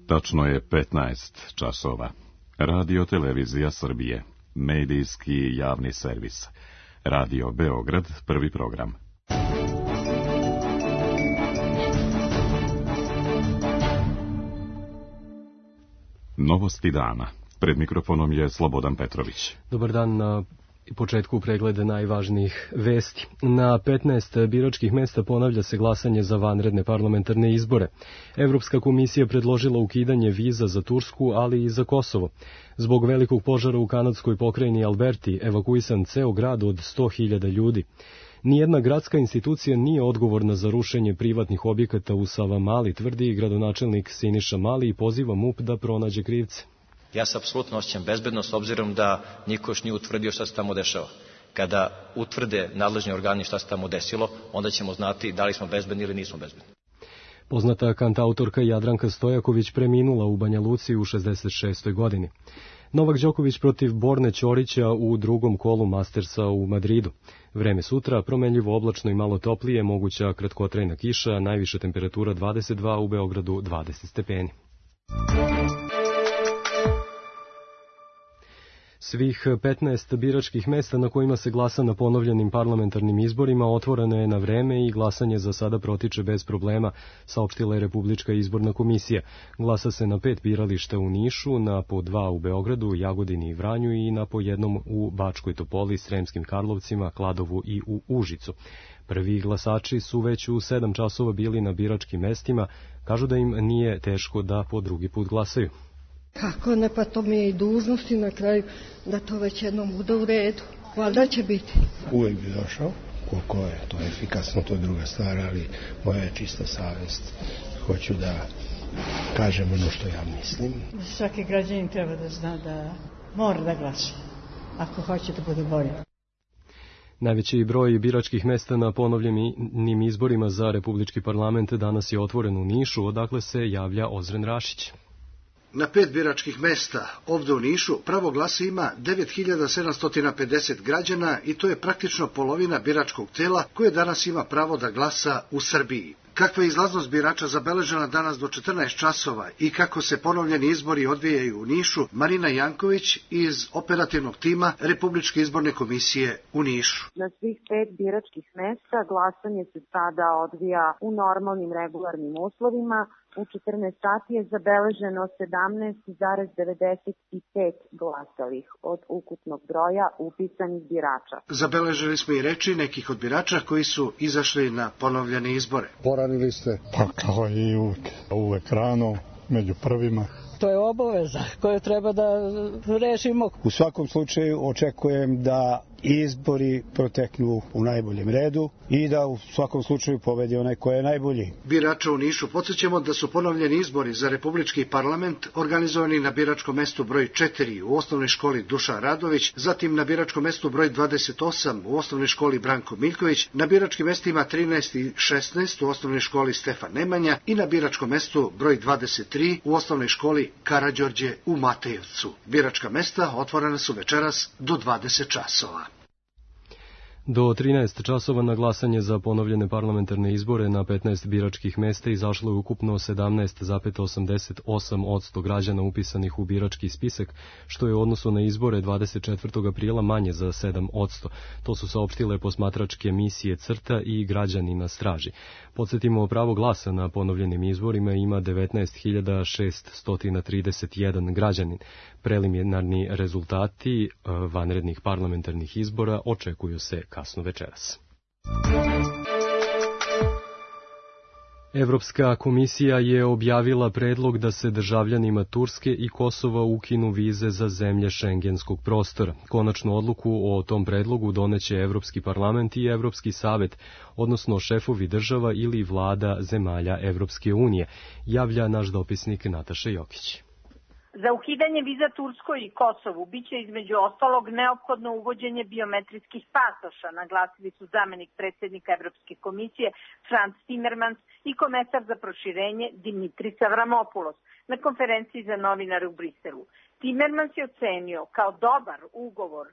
Tačno je 15 časova. Radio Televizija Srbije. Medijski javni servis. Radio Beograd, prvi program. Novosti dana. Pred mikrofonom je Slobodan Petrović. Dobar dan. Na početku pregleda najvažnijih vesti. Na 15 biračkih mesta ponavlja se glasanje za vanredne parlamentarne izbore. Evropska komisija predložila ukidanje viza za Tursku, ali i za Kosovo. Zbog velikog požara u kanadskoj pokrajini Alberti evakuisan ceo grad od 100.000 ljudi. Nijedna gradska institucija nije odgovorna za rušenje privatnih objekata u Savamali, tvrdi gradonačelnik Siniša Mali i poziva MUP da pronađe krivce. Ja se apsolutno osjećam bezbedno s obzirom da niko još nije utvrdio šta se tamo dešava. Kada utvrde nadležni organi šta se tamo desilo, onda ćemo znati da li smo bezbedni ili nismo bezbedni. Poznata kantautorka Jadranka Stojaković preminula u Banja Luci u 66. godini. Novak Đoković protiv Borne Ćorića u drugom kolu Mastersa u Madridu. Vreme sutra, promenljivo oblačno i malo toplije, moguća kratkotrajna kiša, najviša temperatura 22, u Beogradu 20 stepeni. Svih 15 biračkih mesta na kojima se glasa na ponovljenim parlamentarnim izborima otvoreno je na vreme i glasanje za sada protiče bez problema, saopštila je Republička izborna komisija. Glasa se na 5 birališta u Nišu, na po 2 u Beogradu, Jagodini i Vranju i na po jednom u Bačkoj Topoli, Sremskim Karlovcima, Kladovu i u Užicu. Prvi glasači su već u 7 časova bili na biračkim mestima, kažu da im nije teško da po drugi put glasaju. Kako ne, pa to mi je i dužnosti na kraju da to već jednom bude u redu. Valjda će biti. Uvijek bi došao, koliko je to efikasno, to je druga stvar, ali moja je čista savjest. Hoću da kažem ono što ja mislim. Svaki građanin treba da zna da mora da glasa, ako hoće da bude bolje. Najveći broj biračkih mesta na ponovljenim izborima za Republički parlament danas je otvoren u Nišu, odakle se javlja Ozren Rašić. Na 5 biračkih mesta ovde u Nišu pravo glasa ima 9750 građana i to je praktično polovina biračkog tela koje danas ima pravo da glasa u Srbiji. Kakva je izlaznost birača zabeležena danas do 14 časova i kako se ponovljeni izbori odvijaju u Nišu, Marina Janković iz operativnog tima Republičke izborne komisije u Nišu. Na svih 5 biračkih mesta glasanje se sada odvija u normalnim regularnim uslovima. U 14 sati je zabeleženo 17,95 glasalih od ukupnog broja upisanih birača. Zabeležili smo i reči nekih od birača koji su izašli na ponovljene izbore. Poranili ste? Pa kao i uvek rano, među prvima. To je obaveza koju treba da rešimo. U svakom slučaju očekujem da izbori proteknu u najboljem redu i da u svakom slučaju pobedi onaj ko je najbolji. Birača u Nišu podsjećamo da su ponovljeni izbori za Republički parlament organizovani na biračkom mestu broj 4 u osnovnoj školi Dušan Radović, zatim na biračkom mestu broj 28 u osnovnoj školi Branko Miljković, na biračkim mestima 13 i 16 u osnovnoj školi Stefan Nemanja i na biračkom mestu broj 23 u osnovnoj školi Karađorđe u Matejevcu. Biračka mesta otvorena su večeras do 20 časova. Do 13 časova na glasanje za ponovljene parlamentarne izbore na 15 biračkih mesta izašlo je ukupno 17,88% građana upisanih u birački spisak, što je u odnosu na izbore 24. aprila manje za 7%. To su saopštile posmatračke misije CRTA i Građani na straži. Podsjetimo, pravo glasa na ponovljenim izborima ima 19.631 građanin. Preliminarni rezultati vanrednih parlamentarnih izbora očekuju se kasno večeras. Evropska komisija je objavila predlog da se državljanima Turske i Kosova ukinu vize za zemlje šengenskog prostora. Konačnu odluku o tom predlogu doneće Evropski parlament i Evropski savet, odnosno šefovi država ili vlada zemalja Evropske unije, javlja naš dopisnik Nataša Jokić. Za ukidanje viza Turskoj i Kosovu biće između ostalog neophodno uvođenje biometrijskih pasoša, naglasili su zamenik predsjednika Evropske komisije Frans Timmermans i komesar za proširenje Dimitris Avramopoulos na konferenciji za novinare u Briselu. Timmermans je ocenio kao dobar ugovor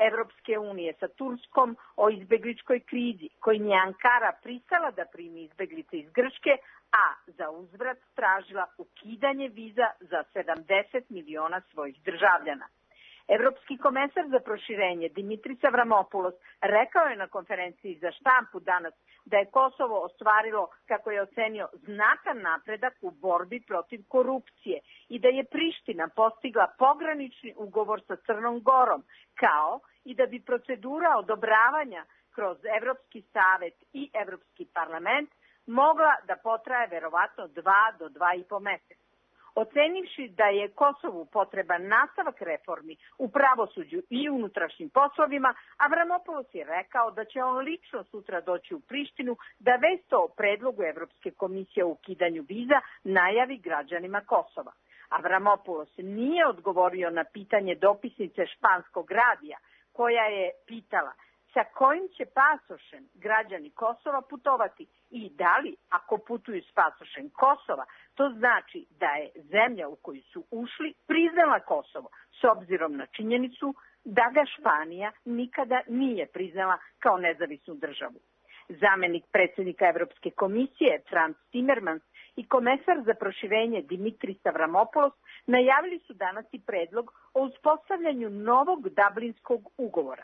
Evropske unije sa Turskom o izbegličkoj krizi, kojim je Ankara pristala da primi izbeglice iz Grčke, a za uzvrat tražila ukidanje viza za 70 miliona svojih državljana. Evropski komesar za proširenje Dimitris Avramopoulos rekao je na konferenciji za štampu danas da je Kosovo ostvarilo, kako je ocenio, znatan napredak u borbi protiv korupcije i da je Priština postigla pogranični ugovor sa Crnom Gorom, kao i da bi procedura odobravanja kroz Evropski savet i Evropski parlament mogla da potraje verovatno 2 do 2,5 meseca. Ocenivši da je Kosovu potreban nastavak reformi u pravosuđu i unutrašnjim poslovima, Avramopoulos je rekao da će on lično sutra doći u Prištinu da vest o predlogu Evropske komisije o ukidanju viza najavi građanima Kosova. Avramopoulos nije odgovorio na pitanje dopisnice španskog radija, koja je pitala sa kojim će pasošem građani Kosova putovati i da li, ako putuju s pasošem Kosova, to znači da je zemlja u koju su ušli priznala Kosovo, s obzirom na činjenicu da ga Španija nikada nije priznala kao nezavisnu državu. Zamenik predsjednika Evropske komisije Frans Timmermans i komesar za proširenje Dimitris Avramopoulos najavili su danas i predlog o uspostavljanju novog Dublinskog ugovora.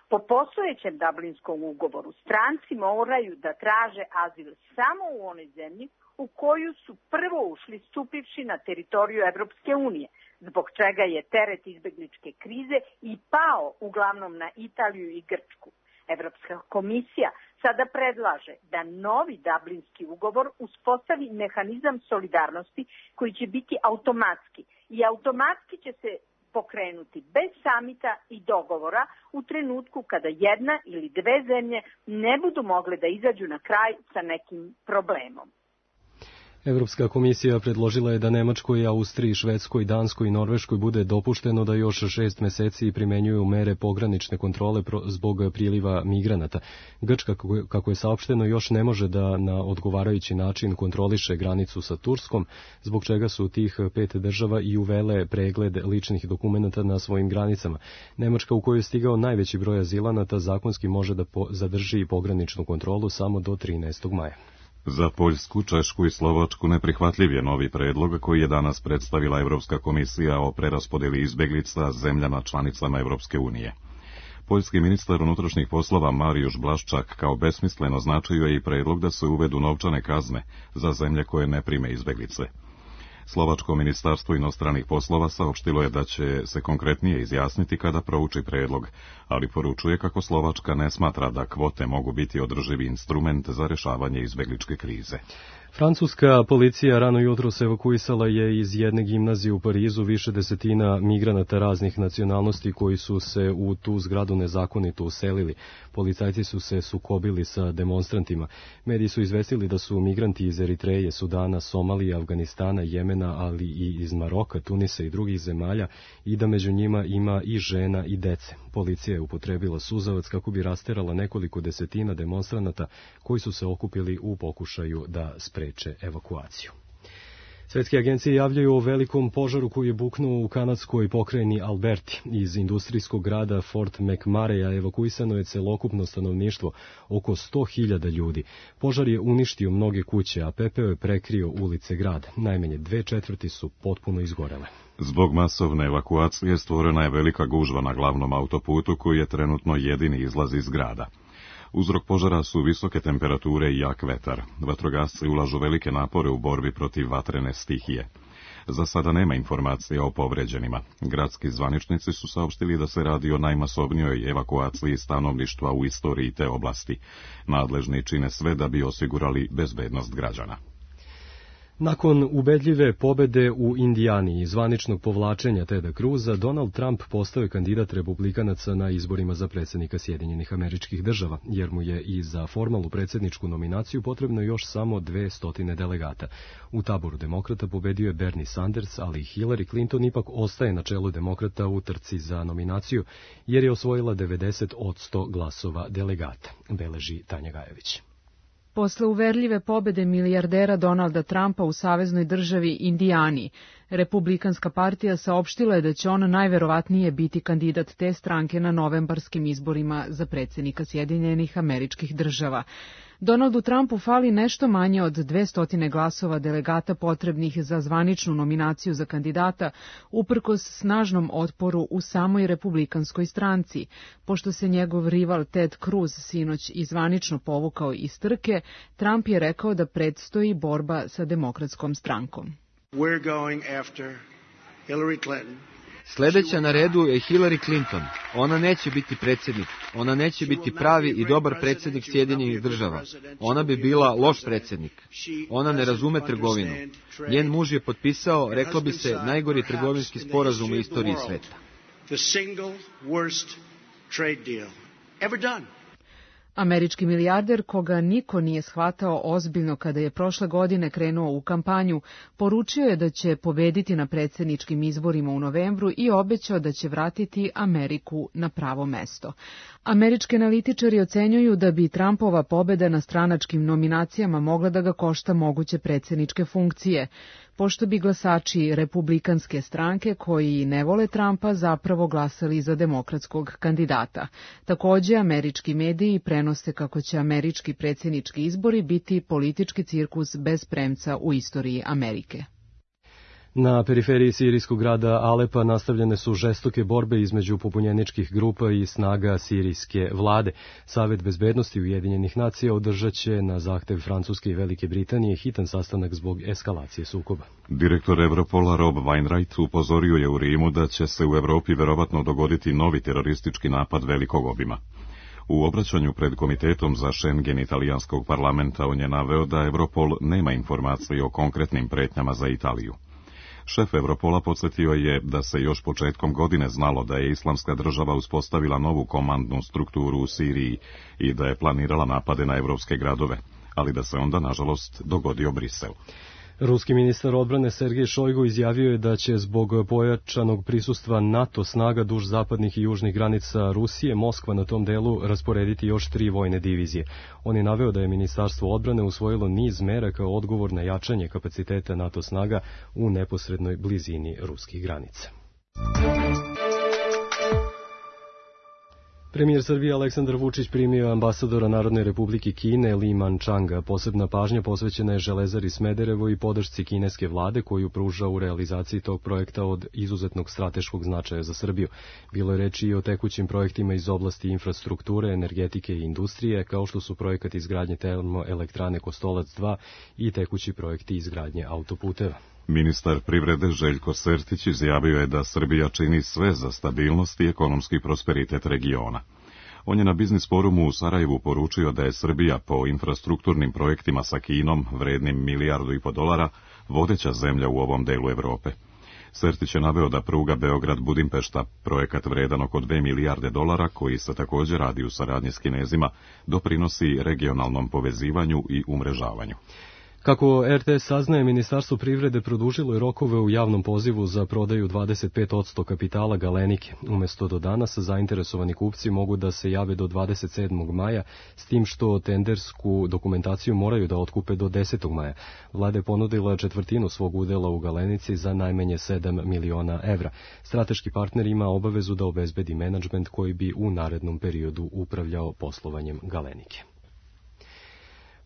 Po postojećem Dublinskom ugovoru stranci moraju da traže azil samo u onoj zemlji u koju su prvo ušli stupivši na teritoriju Evropske unije, zbog čega je teret izbegličke krize i pao uglavnom na Italiju i Grčku. Evropska komisija sada predlaže da novi Dublinski ugovor uspostavi mehanizam solidarnosti koji će biti automatski i automatski će se pokrenuti bez samita i dogovora u trenutku kada jedna ili dve zemlje ne budu mogle da izađu na kraj sa nekim problemom. Evropska komisija predložila je da Nemačkoj, Austriji, Švedskoj, Danskoj i Norveškoj bude dopušteno da još 6 meseci primenjuju mere pogranične kontrole zbog priliva migranata. Grčka, kako je saopšteno, još ne može da na odgovarajući način kontroliše granicu sa Turskom, zbog čega su tih 5 država i uvele pregled ličnih dokumenata na svojim granicama. Nemačka, u kojoj je stigao najveći broj azilanata, zakonski može da zadrži pograničnu kontrolu samo do 13. maja. Za Poljsku, Češku i Slovačku neprihvatljiv je novi predlog koji je danas predstavila Evropska komisija o preraspodeli izbeglica zemljama članicama Evropske unije. Poljski ministar unutrašnjih poslova Marijuš Blaszczak kao besmisleno označio je i predlog da se uvedu novčane kazne za zemlje koje ne prime izbeglice. Slovačko ministarstvo inostranih poslova saopštilo je da će se konkretnije izjasniti kada prouči predlog, ali poručuje kako Slovačka ne smatra da kvote mogu biti održivi instrument za rešavanje izbegličke krize. Francuska policija rano jutros evakuisala je iz jedne gimnazije u Parizu više desetina migranata raznih nacionalnosti koji su se u tu zgradu nezakonito uselili. Policajci su se sukobili sa demonstrantima. Mediji su izvestili da su migranti iz Eritreje, Sudana, Somalije, Afganistana, Jemena, ali i iz Maroka, Tunisa i drugih zemalja i da među njima ima i žena i dece. Policija je upotrebila suzavac kako bi rasterala nekoliko desetina demonstranata koji su se okupili u pokušaju da spreče evakuaciju. Svetske agencije javljaju o velikom požaru koji je buknuo u kanadskoj pokrajini Alberti. Iz industrijskog grada Fort McMurray evakuisano je celokupno stanovništvo, oko 100.000 ljudi. Požar je uništio mnoge kuće, a pepeo je prekrio ulice grada. Najmanje 2/4 su potpuno izgorele. Zbog masovne evakuacije stvorena je velika gužva na glavnom autoputu koji je trenutno jedini izlaz iz grada. Uzrok požara su visoke temperature i jak vetar. Vatrogasci ulažu velike napore u borbi protiv vatrene stihije. Za sada nema informacija o povređenima. Gradski zvaničnici su saopštili da se radi o najmasovnijoj evakuaciji stanovništva u istoriji te oblasti. Nadležni čine sve da bi osigurali bezbednost građana. Nakon ubedljive pobede u Indijani i zvaničnog povlačenja Teda Cruza, Donald Trump postao je kandidat republikanaca na izborima za predsjednika Sjedinjenih Američkih Država, jer mu je i za formalnu predsjedničku nominaciju potrebno još samo 200 delegata. U taboru demokrata pobedio je Bernie Sanders, ali Hillary Clinton ipak ostaje na čelu demokrata u trci za nominaciju, jer je osvojila 90% glasova delegata, beleži Tanja Gajević. Posle uverljive pobede milijardera Donalda Trumpa u saveznoj državi Indijani, Republikanska partija saopštila je da će on najverovatnije biti kandidat te stranke na novembarskim izborima za predsjednika Sjedinjenih Američkih Država. Donaldu Trumpu fali nešto manje od 200 glasova delegata potrebnih za zvaničnu nominaciju za kandidata, uprkos snažnom otporu u samoj republikanskoj stranci. Pošto se njegov rival Ted Cruz sinoć i zvanično povukao iz trke, Trump je rekao da predstoji borba sa demokratskom strankom. We're going after Hillary Clinton. Sledeća na redu je Hillary Clinton. Ona neće biti predsjednik. Ona neće biti pravi i dobar predsjednik Sjedinjenih Država. Ona bi bila loš predsjednik. Ona ne razume trgovinu. Njen muž je potpisao, reklo bi se, najgori trgovinski sporazum u istoriji sveta. The single worst trade deal ever done. Američki milijarder, koga niko nije shvatao ozbiljno kada je prošle godine krenuo u kampanju, poručio je da će pobediti na predsjedničkim izborima u novembru i obećao da će vratiti Ameriku na pravo mesto. Američki analitičari ocenjuju da bi Trumpova pobeda na stranačkim nominacijama mogla da ga košta moguće predsjedničke funkcije, pošto bi glasači republikanske stranke koji ne vole Trumpa zapravo glasali za demokratskog kandidata. Takođe, američki mediji prenose kako će američki predsjednički izbori biti politički cirkus bez premca u istoriji Amerike. Na periferiji sirijskog grada Alepa nastavljene su žestoke borbe između pobunjeničkih grupa i snaga sirijske vlade. Savet bezbednosti Ujedinjenih nacija održat će na zahtev Francuske i Velike Britanije hitan sastanak zbog eskalacije sukoba. Direktor Europola Rob Wainwright upozorio je u Rimu da će se u Evropi verovatno dogoditi novi teroristički napad velikog obima. U obraćanju pred Komitetom za Schengen italijanskog parlamenta on je naveo da Europol nema informacije o konkretnim pretnjama za Italiju. Šef Europola podsjetio je da se još početkom godine znalo da je Islamska država uspostavila novu komandnu strukturu u Siriji i da je planirala napade na evropske gradove, ali da se onda, nažalost, dogodio Brisel. Ruski ministar odbrane Sergej Šojgu izjavio je da će zbog pojačanog prisustva NATO snaga duž zapadnih i južnih granica Rusije Moskva na tom delu rasporediti još 3 vojne divizije. On je naveo da je Ministarstvo odbrane usvojilo niz mera kao odgovor na jačanje kapaciteta NATO snaga u neposrednoj blizini ruskih granica. Premijer Srbije Aleksandar Vučić primio ambasadora Narodne republike Kine Li Manchanga. Posebna pažnja posvećena je Železari Smederevo i podršci kineske vlade koju pruža u realizaciji tog projekta od izuzetnog strateškog značaja za Srbiju. Bilo je reči i o tekućim projektima iz oblasti infrastrukture, energetike i industrije, kao što su projekat izgradnje termoelektrane Kostolac 2 i tekući projekti izgradnje autoputeva. Ministar privrede Željko Sertić izjavio je da Srbija čini sve za stabilnost i ekonomski prosperitet regiona. On je na biznis forumu u Sarajevu poručio da je Srbija po infrastrukturnim projektima sa Kinom, vrednim $1,5 milijardi, vodeća zemlja u ovom delu Evrope. Sertić je naveo da pruga Beograd-Budimpešta, projekat vredan oko $2 milijarde, koji se također radi u saradnji s Kinezima, doprinosi regionalnom povezivanju i umrežavanju. Kako RTS saznaje, Ministarstvo privrede produžilo je rokove u javnom pozivu za prodaju 25% kapitala Galenike. Umesto do danas, zainteresovani kupci mogu da se jave do 27. maja, s tim što tendersku dokumentaciju moraju da otkupe do 10. maja. Vlada je ponudila četvrtinu svog udela u Galenici za najmanje 7 miliona evra. Strateški partner ima obavezu da obezbedi menadžment koji bi u narednom periodu upravljao poslovanjem Galenike.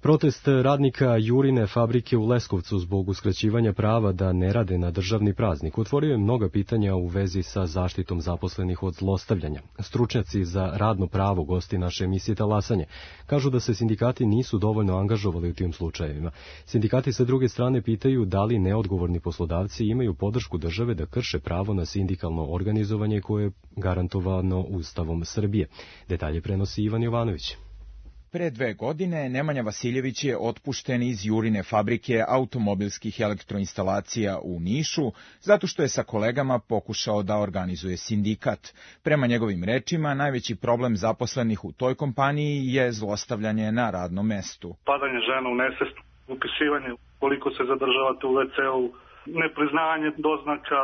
Protest radnika Jurine fabrike u Leskovcu zbog uskraćivanja prava da ne rade na državni praznik otvorio je mnoga pitanja u vezi sa zaštitom zaposlenih od zlostavljanja. Stručnjaci za radno pravo, gosti naše emisije Talasanje, kažu da se sindikati nisu dovoljno angažovali u tim slučajevima. Sindikati sa druge strane pitaju da li neodgovorni poslodavci imaju podršku države da krše pravo na sindikalno organizovanje koje je garantovano Ustavom Srbije. Detalje prenosi Ivan Jovanović. Pre 2 godine Nemanja Vasiljević je otpušten iz Jurine fabrike automobilskih elektroinstalacija u Nišu, zato što je sa kolegama pokušao da organizuje sindikat. Prema njegovim rečima, najveći problem zaposlenih u toj kompaniji je zlostavljanje na radnom mestu. Padanje žena u nesvest, upisivanje koliko se zadržavate u WC-u, nepriznavanje doznaka,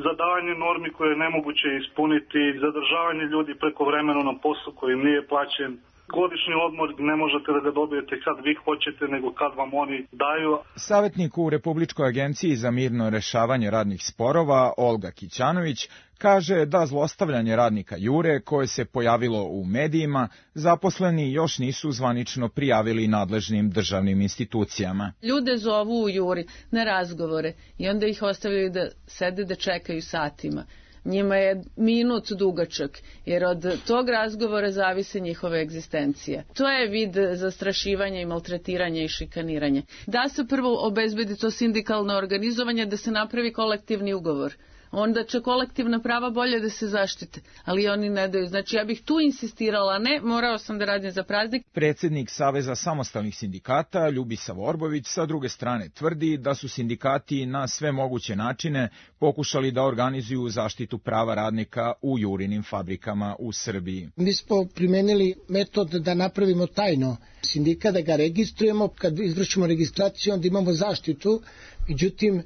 zadavanje normi koje je nemoguće ispuniti, zadržavanje ljudi prekovremeno na poslu koji im nije plaćen, Godišnji odmor ne možete da ga dobijete kad vi hoćete, nego kad vam oni daju. Savjetnik u Republičkoj agenciji za mirno rešavanje radnih sporova Olga Kićanović kaže da zlostavljanje radnika Jure, koje se pojavilo u medijima, zaposleni još nisu zvanično prijavili nadležnim državnim institucijama. Ljude zovu u Juri na razgovore i onda ih ostavljaju da sede da čekaju satima. Njima je minut dugačak, jer od tog razgovora zavise njihova egzistencija. To je vid zastrašivanja i maltretiranja i šikaniranja. Da se prvo obezbedi to sindikalno organizovanje, da se napravi kolektivni ugovor. Onda će kolektivna prava bolje da se zaštite, ali oni ne daju. Znači ja bih tu insistirala, ne, morao sam da radim za praznik. Predsjednik Saveza samostalnih sindikata Ljubisa Vorbović sa druge strane tvrdi da su sindikati na sve moguće načine pokušali da organizuju zaštitu prava radnika u Jurinim fabrikama u Srbiji. Mi smo primenili metod da napravimo tajno sindikat, da ga registrujemo, kad izvršimo registraciju onda imamo zaštitu, međutim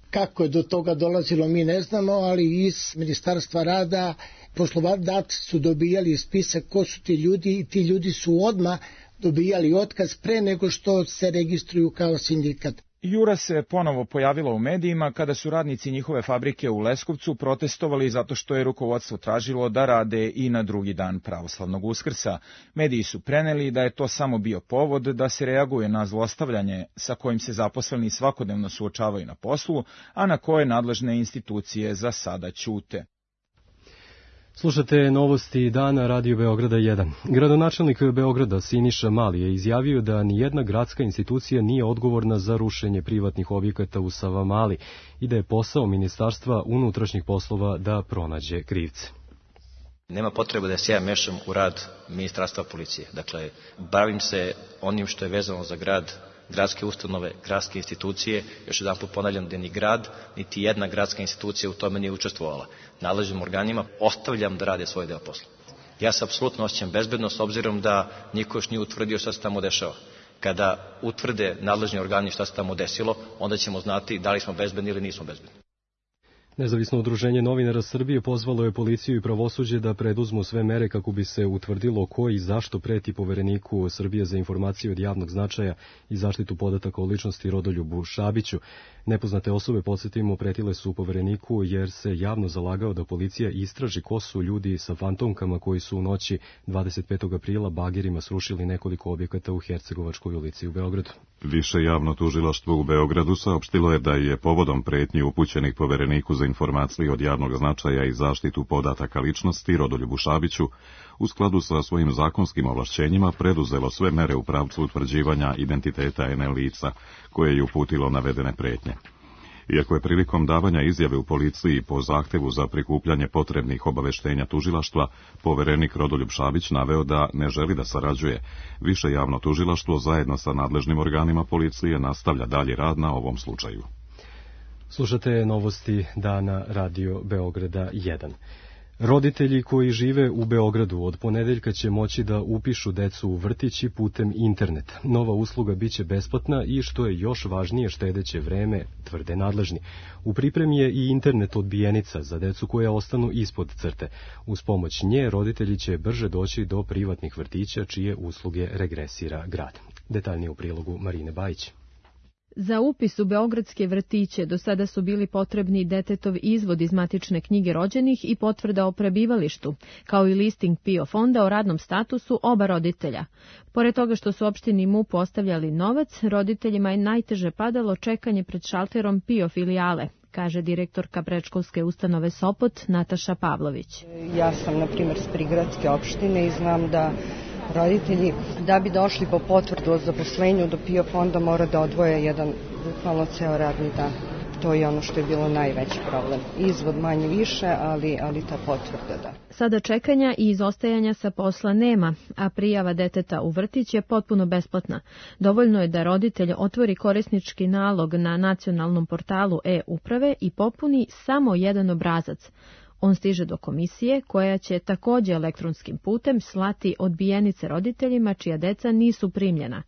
kako je do toga dolazilo mi ne znamo, ali iz Ministarstva rada poslodavci su dobijali spisak ko su ti ljudi i ti ljudi su odmah dobijali otkaz pre nego što se registruju kao sindikat. Jura se ponovo pojavila u medijima kada su radnici njihove fabrike u Leskovcu protestovali zato što je rukovodstvo tražilo da rade i na drugi dan pravoslavnog Uskrsa. Mediji su preneli da je to samo bio povod da se reaguje na zlostavljanje sa kojim se zaposleni svakodnevno suočavaju na poslu, a na koje nadležne institucije za sada ćute. Slušate novosti dana Radio Beograda 1. Gradonačelnik Beograda Siniša Mali je izjavio da nijedna gradska institucija nije odgovorna za rušenje privatnih objekata u Savamali i da je posao Ministarstva unutrašnjih poslova da pronađe krivce. Nema potrebe da se ja mešam u rad Ministarstva policije. Dakle, bavim se onim što je vezano za grad, gradske ustanove, gradske institucije. Još jedan put ponavljam da ni grad, niti jedna gradska institucija u tome nije učestvovala. Nadležnim organima ostavljam da rade svoj deo posla. Ja se apsolutno osjećam bezbedno s obzirom da niko još nije utvrdio šta se tamo dešava. Kada utvrde nadležni organi šta se tamo desilo, onda ćemo znati da li smo bezbedni ili nismo bezbedni. Nezavisno udruženje novinara Srbije pozvalo je policiju i pravosuđe da preduzmu sve mere kako bi se utvrdilo ko i zašto preti povereniku Srbije za informacije od javnog značaja i zaštitu podataka o ličnosti Rodoljubu Šabiću. Nepoznate osobe, podsjetimo, pretile su povereniku jer se javno zalagao da policija istraži ko su ljudi sa fantomkama koji su u noći 25. aprila bagerima srušili nekoliko objekata u Hercegovačkoj ulici u Beogradu. Više javno tužilaštvo u Beogradu saopštilo je da je povodom pretnji upućenih povereniku za informacije od javnog značaja i zaštitu podataka ličnosti Rodoljubu Šabiću u skladu sa svojim zakonskim ovlašćenjima preduzelo sve mere u pravcu utvrđivanja identiteta NL lica koje je uputilo navedene pretnje. Iako je prilikom davanja izjave u policiji po zahtevu za prikupljanje potrebnih obaveštenja tužilaštva, poverenik Rodoljub Šabić naveo da ne želi da sarađuje, više javno tužilaštvo zajedno sa nadležnim organima policije nastavlja dalji rad na ovom slučaju. Slušate novosti dana Radio Beograda 1. Roditelji koji žive u Beogradu od ponedeljka će moći da upišu decu u vrtići putem interneta. Nova usluga biće besplatna i, što je još važnije, štedeće vreme, tvrde nadležni. U pripremi je i internet odbijenica za decu koja ostanu ispod crte. Uz pomoć nje roditelji će brže doći do privatnih vrtića čije usluge regresira grad. Detaljnije u prilogu Marine Bajić. Za upis u beogradske vrtiće do sada su bili potrebni detetov izvod iz matične knjige rođenih i potvrda o prebivalištu, kao i listing PIO fonda o radnom statusu oba roditelja. Pored toga što su opštini MUP ostavljali novac, roditeljima je najteže padalo čekanje pred šalterom PIO filijale, kaže direktorka predškolske ustanove Sopot Nataša Pavlović. Ja sam, na primjer, s prigradske opštine i znam da roditelji, da bi došli po potvrdu o zaposlenju do PIO fonda, mora da odvoje jedan, bukvalno ceo radni dan. To je ono što je bilo najveći problem. Izvod manje više, ali ta potvrda, da. Sada čekanja i izostajanja sa posla nema, a prijava deteta u vrtić je potpuno besplatna. Dovoljno je da roditelj otvori korisnički nalog na nacionalnom portalu e-uprave i popuni samo jedan obrazac. On stiže do komisije koja će također elektronskim putem slati odbijenice roditeljima čija deca nisu primljena.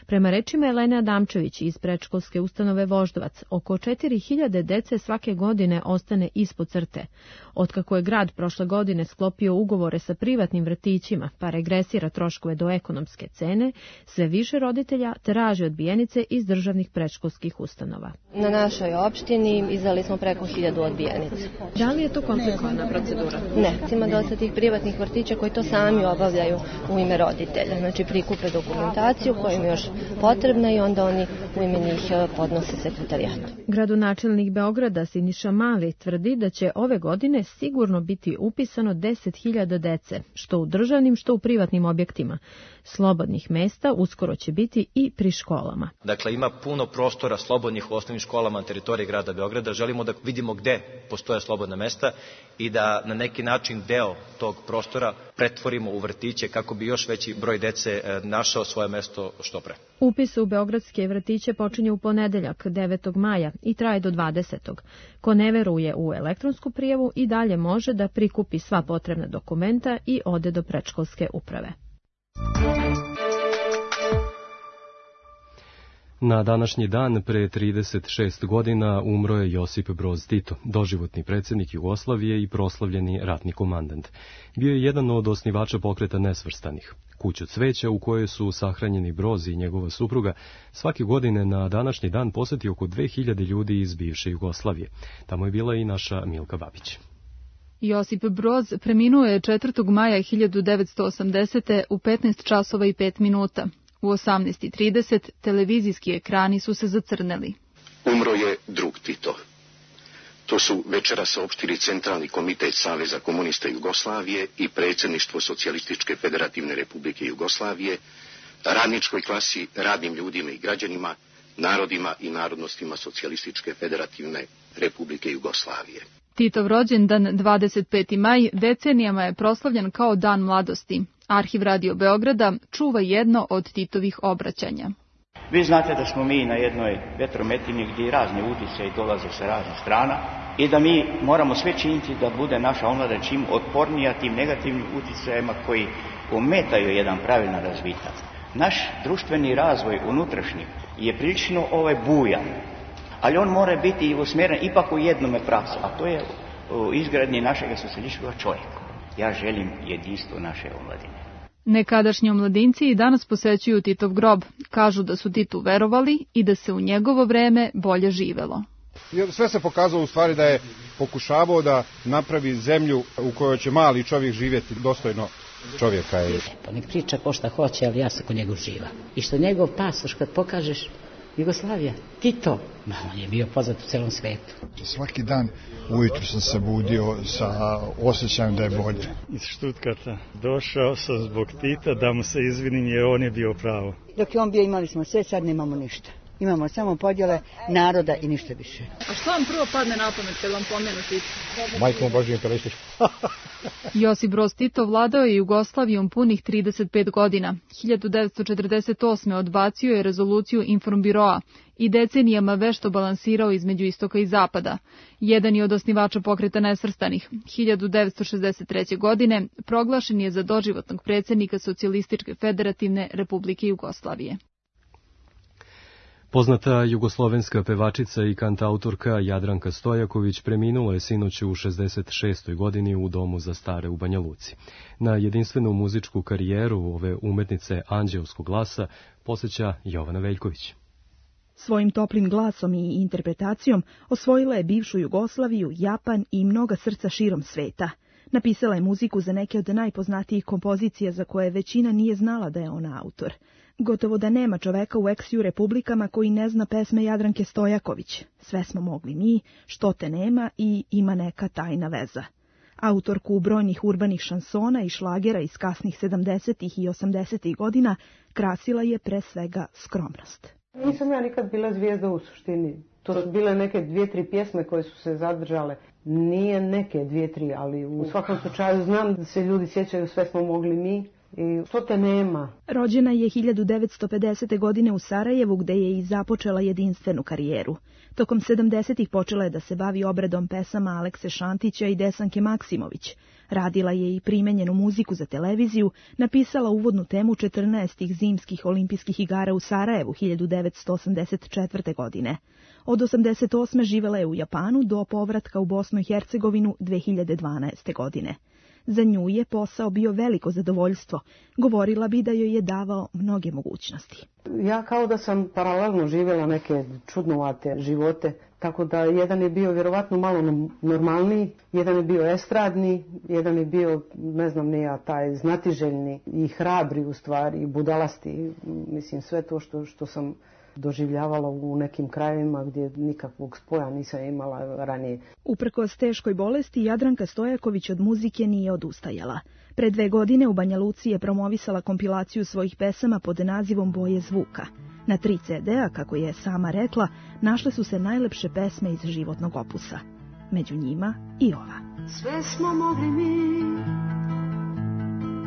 Prema rečima Elene Adamčević iz predškolske ustanove Voždovac, oko 4000 dece svake godine ostane ispod crte. Otkako je grad prošle godine sklopio ugovore sa privatnim vrtićima pa regresira troškove do ekonomske cene, sve više roditelja traži odbijenice iz državnih predškolskih ustanova. Na našoj opštini izdali smo preko 1000 odbijenica. Da li je to komplikovana procedura? Ne, ima dosta tih privatnih vrtića koji to sami obavljaju u ime roditelja. Znači prikupe dokumentaciju koja im je još potrebna i onda oni u ime njih podnose sekretarijatu. Gradonačelnik Beograda Siniša Mali tvrdi da će ove godine sigurno biti upisano 10.000 dece, što u državnim, što u privatnim objektima. Slobodnih mesta uskoro će biti i pri školama. Dakle, ima puno prostora slobodnih u osnovnim školama na teritoriji grada Beograda. Želimo da vidimo gde postoje slobodna mesta i da na neki način deo tog prostora pretvorimo u vrtiće kako bi još veći broj dece našao svoje mesto što pre. Upis u beogradske vrtiće počinje u ponedeljak 9. maja i traje do 20. Ko ne veruje u elektronsku prijavu i dalje može da prikupi sva potrebna dokumenta i ode do predškolske uprave. Na današnji dan pre 36 godina umro je Josip Broz Tito, doživotni predsjednik Jugoslavije i proslavljeni ratni komandant. Bio je jedan od osnivača pokreta nesvrstanih. Kuću cveća u kojoj su sahranjeni Broz i njegova supruga svake godine na današnji dan posjeti oko 2000 ljudi iz bivše Jugoslavije. Tamo je bila i naša Milka Babić. Josip Broz preminuo je 4. maja 1980. u 15 časova i 5 minuta. U 18:30 televizijski ekrani su se zacrneli. Umro je drug Tito. To su večeras saopštili Centralni komitet Saveza komunista Jugoslavije i predsjedništvo Socijalističke federativne republike Jugoslavije, radničkoj klasi, radnim ljudima i građanima, narodima i narodnostima Socijalističke federativne republike Jugoslavije. Titov rođendan 25. maj decenijama je proslavljen kao Dan mladosti. Arhiv Radio Beograda čuva jedno od Titovih obraćanja. Vi znate da smo mi na jednoj vetrometini gdje razni utjecaji dolaze sa raznih strana i da mi moramo sve činiti da bude naša omladina čim otpornija tim negativnim utjecajima koji ometaju jedan pravilan razvitak. Naš društveni razvoj unutrašnji je prilično bujan, ali on mora biti usmjeren ipak u jednome pravcu, a to je u izgradnji našeg socijalističkog čovjeka. Ja želim jedinstvo naše omladine. Nekadašnji omladinci i danas posećuju Titov grob. Kažu da su Titu verovali i da se u njegovo vreme bolje živelo. Sve se pokazalo u stvari da je pokušavao da napravi zemlju u kojoj će mali čovjek živjeti dostojno čovjeka. Pa nek priča ko šta hoće, ali ja sam kod njegov živa. I što njegov pasoš kad pokažeš Jugoslavija, Tito, on je bio poznat u celom svetu. Svaki dan ujutru sam se budio sa osjećajem da je bolje. Iz Štutgarta došao sam zbog Tita da mu se izvinim jer on je bio pravo. Dok je on bio imali smo sve, sad nemamo ništa. Imamo samo podjele naroda i ništa više. A što vam prvo padne na pamet kad vam pomenu Tito? Majkom Božji imperialistič. Josip Broz Tito vladao je Jugoslavijom punih 35 godina. 1948. odbacio je rezoluciju Informbiroa i decenijama vešto balansirao između istoka i zapada. Jedan je od osnivača pokreta nesvrstanih. 1963. godine proglašen je za doživotnog predsjednika Socijalističke federativne republike Jugoslavije. Poznata jugoslovenska pevačica i kantautorka Jadranka Stojaković preminula je sinoć u 66. godini u domu za stare u Banja Luci. Na jedinstvenu muzičku karijeru ove umetnice anđelskog glasa posjeća Jovana Veljković. Svojim toplim glasom i interpretacijom osvojila je bivšu Jugoslaviju, Japan i mnoga srca širom sveta. Napisala je muziku za neke od najpoznatijih kompozicija za koje većina nije znala da je ona autor. Gotovo da nema čoveka u ex-ju republikama koji ne zna pesme Jadranke Stojaković. Sve smo mogli mi, Što te nema i Ima neka tajna veza. Autorku brojnih urbanih šansona i šlagera iz kasnih 70. i 80. godina krasila je pre svega skromnost. Nisam ja nikad bila zvijezda u suštini. To su bile neke 2-3 pjesme koje su se zadržale. Nije neke 2-3, ali u svakom slučaju znam da se ljudi sjećaju Sve smo mogli mi. i što te nema. Rođena je 1950. godine u Sarajevu, gde je i započela jedinstvenu karijeru. Tokom 70-ih počela je da se bavi obradom pesama Alekse Šantića i Desanke Maksimović. Radila je i primenjenu muziku za televiziju, napisala uvodnu temu 14. zimskih olimpijskih igara u Sarajevu 1984. godine. Od 88. živela je u Japanu do povratka u Bosnu i Hercegovinu 2012. godine. Za nju je posao bio veliko zadovoljstvo. Govorila bi da joj je davao mnoge mogućnosti. Ja kao da sam paralelno živjela neke čudnovate živote, tako da jedan je bio vjerovatno malo normalniji, jedan je bio estradni, jedan je bio, ne znam ni ja, taj znatiželjni i hrabri u stvari, i budalasti. Mislim, sve to što sam doživljavala u nekim krajevima gdje nikakvog spoja nisam imala ranije. Uprkos teškoj bolesti, Jadranka Stojaković od muzike nije odustajala. Pre 2 godine u Banja Luci je promovisala kompilaciju svojih pesama pod nazivom Boje zvuka. Na 3 CD-a, kako je sama rekla, našle su se najlepše pesme iz životnog opusa. Među njima i ova. Sve smo mogli mi,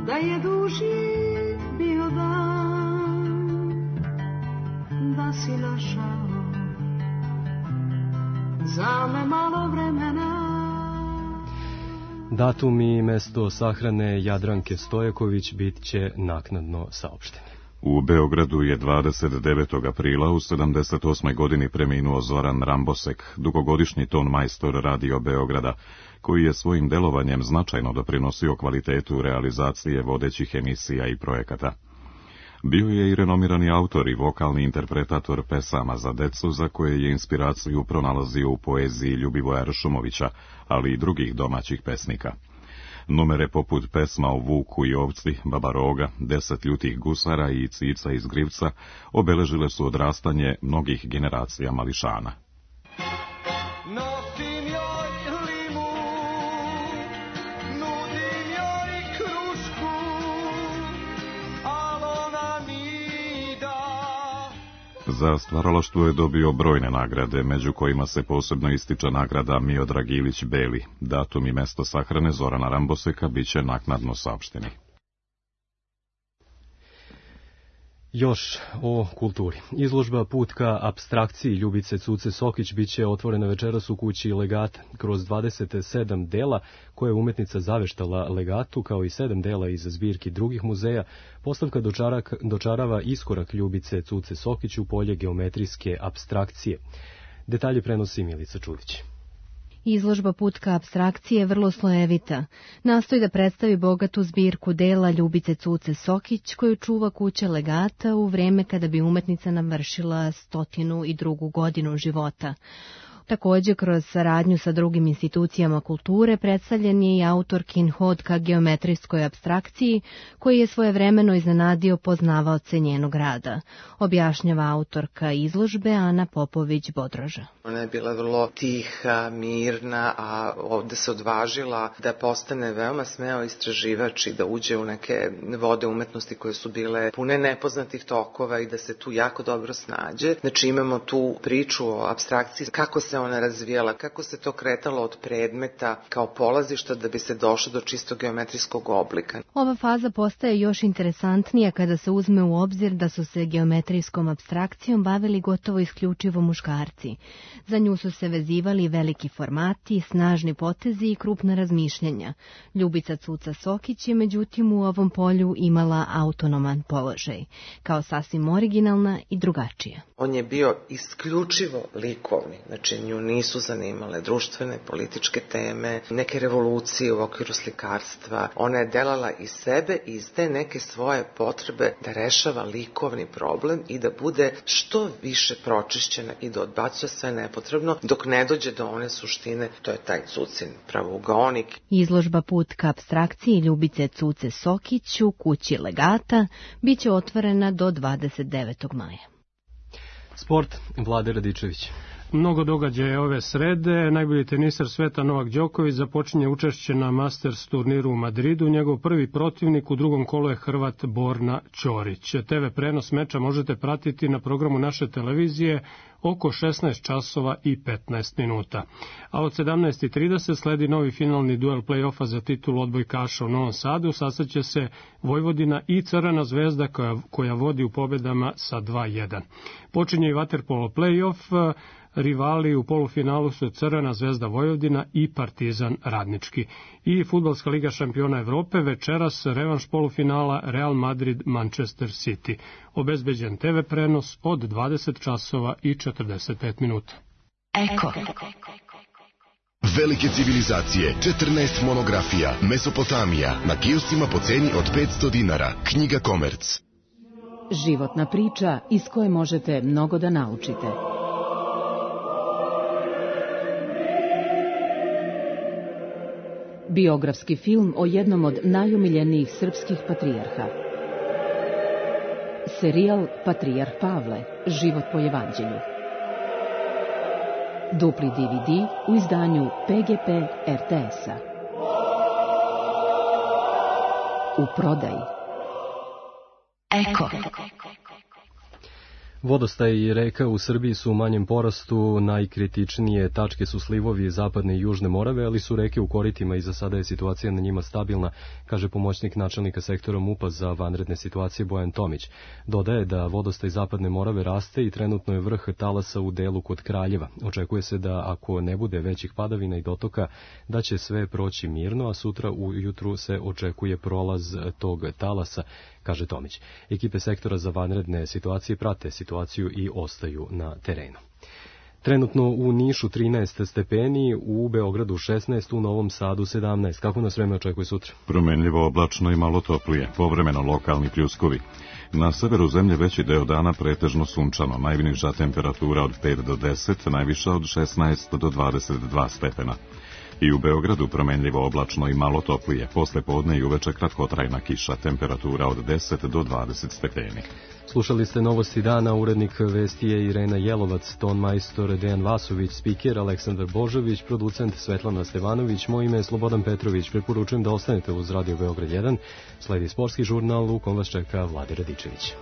da je duži bio dan, da si našao za me malo vremena. Datum i mesto sahrane Jadranke Stojaković bit će naknadno saopšteni. U Beogradu je 29. aprila u 78. godini preminuo Zoran Rambosek, dugogodišnji ton majstor Radio Beograda, koji je svojim delovanjem značajno doprinosio kvalitetu realizacije vodećih emisija i projekata. Bio je i renomirani autor i vokalni interpretator pesama za decu, za koje je inspiraciju pronalazio u poeziji Ljubivoja Ršumovića, ali i drugih domaćih pesnika. Numere poput pesma o Vuku i ovci, Baba Roga, 10 ljutih gusara i Cica iz Grivca obeležile su odrastanje mnogih generacija mališana. Za stvaralaštvo je dobio brojne nagrade, među kojima se posebno ističe nagrada Miodrag Ilić Beli. Datum i mesto sahrane Zorana Ramboseka biće naknadno saopšteni. Još o kulturi. Izložba Put ka apstrakciji Ljubice Cuce Sokić biće otvorena večeras u kući Legata. Kroz 27 dela koje je umetnica zaveštala Legatu, kao i 7 dela iz zbirki drugih muzeja, postavka dočarava iskorak Ljubice Cuce Sokić u polje geometrijske apstrakcije. Detalje prenosi Milica Čudić. Izložba Put ka apstrakcije je vrlo slojevita. Nastoji da predstavi bogatu zbirku dela Ljubice Cuce Sokić, koju čuva kuća Legata u vreme kada bi umetnica navršila 102. godinu života. Također, kroz saradnju sa drugim institucijama kulture predstavljen je i autorkin hod ka geometrijskoj apstrakciji, koji je svojevremeno iznenadio poznavaoce njenog rada, objašnjava autorka izložbe Ana Popović-Bodroža. Ona je bila vrlo tiha, mirna, a ovde se odvažila da postane veoma smeo istraživač i da uđe u neke vode umetnosti koje su bile pune nepoznatih tokova i da se tu jako dobro snađe. Znači imamo tu priču o apstrakciji, kako se ona razvijala, kako se to kretalo od predmeta kao polazišta da bi se došlo do čisto geometrijskog oblika. Ova faza postaje još interesantnija kada se uzme u obzir da su se geometrijskom apstrakcijom bavili gotovo isključivo muškarci. Za nju su se vezivali veliki formati, snažni potezi i krupna razmišljanja. Ljubica Cuca Sokić je međutim u ovom polju imala autonoman položaj, kao sasvim originalna i drugačija. On je bio isključivo likovni, znači nju nisu zanimale društvene, političke teme, neke revolucije u okviru slikarstva. Ona je delala iz sebe i iz te neke svoje potrebe da rešava likovni problem i da bude što više pročišćena i da odbacuje sve nepotrebno dok ne dođe do one suštine, to je taj Cucin pravougaonik. Izložba Put ka apstrakciji Ljubice Cuce Sokić u kući Legata biće otvorena do 29. maja. Sport, Vlade Radičević. Mnogo događaja ove srede. Najbolji tenisar sveta Novak Đoković započinje učešće na Masters turniru u Madridu. Njegov prvi protivnik u drugom kolu je Hrvat Borna Ćorić. TV prenos meča možete pratiti na programu naše televizije oko 16 časova i 15 minuta. A od 17:30 sledi novi finalni duel play-offa za titulu odbojkaša u Novom Sadu. Sastaće se Vojvodina i Crvena Zvezda koja vodi u pobedama sa 2:1. Počinje i vaterpolo play-off. Rivali u polufinalu su Crvena Zvezda Vojvodina i Partizan Radnički. I Fudbalska liga šampiona Evrope, večeras revanš polufinala Real Madrid Manchester City. Obezbeđen TV prenos od 20 časova i 45 minuta. Eko. Velike civilizacije, 14 monografija, Mesopotamija, na kioscima po ceni od 500 dinara. Knjiga Komerc. Životna priča iz koje možete mnogo da naučite. Biografski film o jednom od najomiljenijih srpskih patrijarha. Serijal Patrijarh Pavle, život po evanđelju. Dupli DVD u izdanju PGP RTS-a. U prodaji. Eko. Vodostaj i reka u Srbiji su u manjem porastu, najkritičnije tačke su slivovi zapadne i južne Morave, ali su reke u koritima i za sada je situacija na njima stabilna, kaže pomoćnik načelnika sektora MUP-a za vanredne situacije Bojan Tomić. Dodaje da vodostaj zapadne Morave raste i trenutno je vrh talasa u delu kod Kraljeva. Očekuje se da ako ne bude većih padavina i dotoka, da će sve proći mirno, a sutra ujutru se očekuje prolaz tog talasa, kaže Tomić. Ekipe sektora za vanredne situacije prate situaciju i ostaju na terenu. Trenutno u Nišu 13 stepeni, u Beogradu 16, u Novom Sadu 17. Kako nas vreme očekuje sutra? Promenljivo oblačno i malo toplije, povremeno lokalni pljuskovi. Na severu zemlje veći deo dana pretežno sunčano, najniža temperatura od 5 do 10, najviša od 16 do 22 stepena. I u Beogradu promenljivo oblačno i malo toplije, posle podne i uveče kratkotrajna kiša, temperatura od 10 do 20 stepeni. Slušali ste novosti dana, urednik vesti je Irena Jelovac, ton majstor Dejan Vasović, spiker Aleksandar Božović, producent Svetlana Stevanović, moje ime je Slobodan Petrović. Preporučujem da ostanete uz Radio Beograd 1, sledi sportski žurnal u kom vas čeka Vlade Radičević.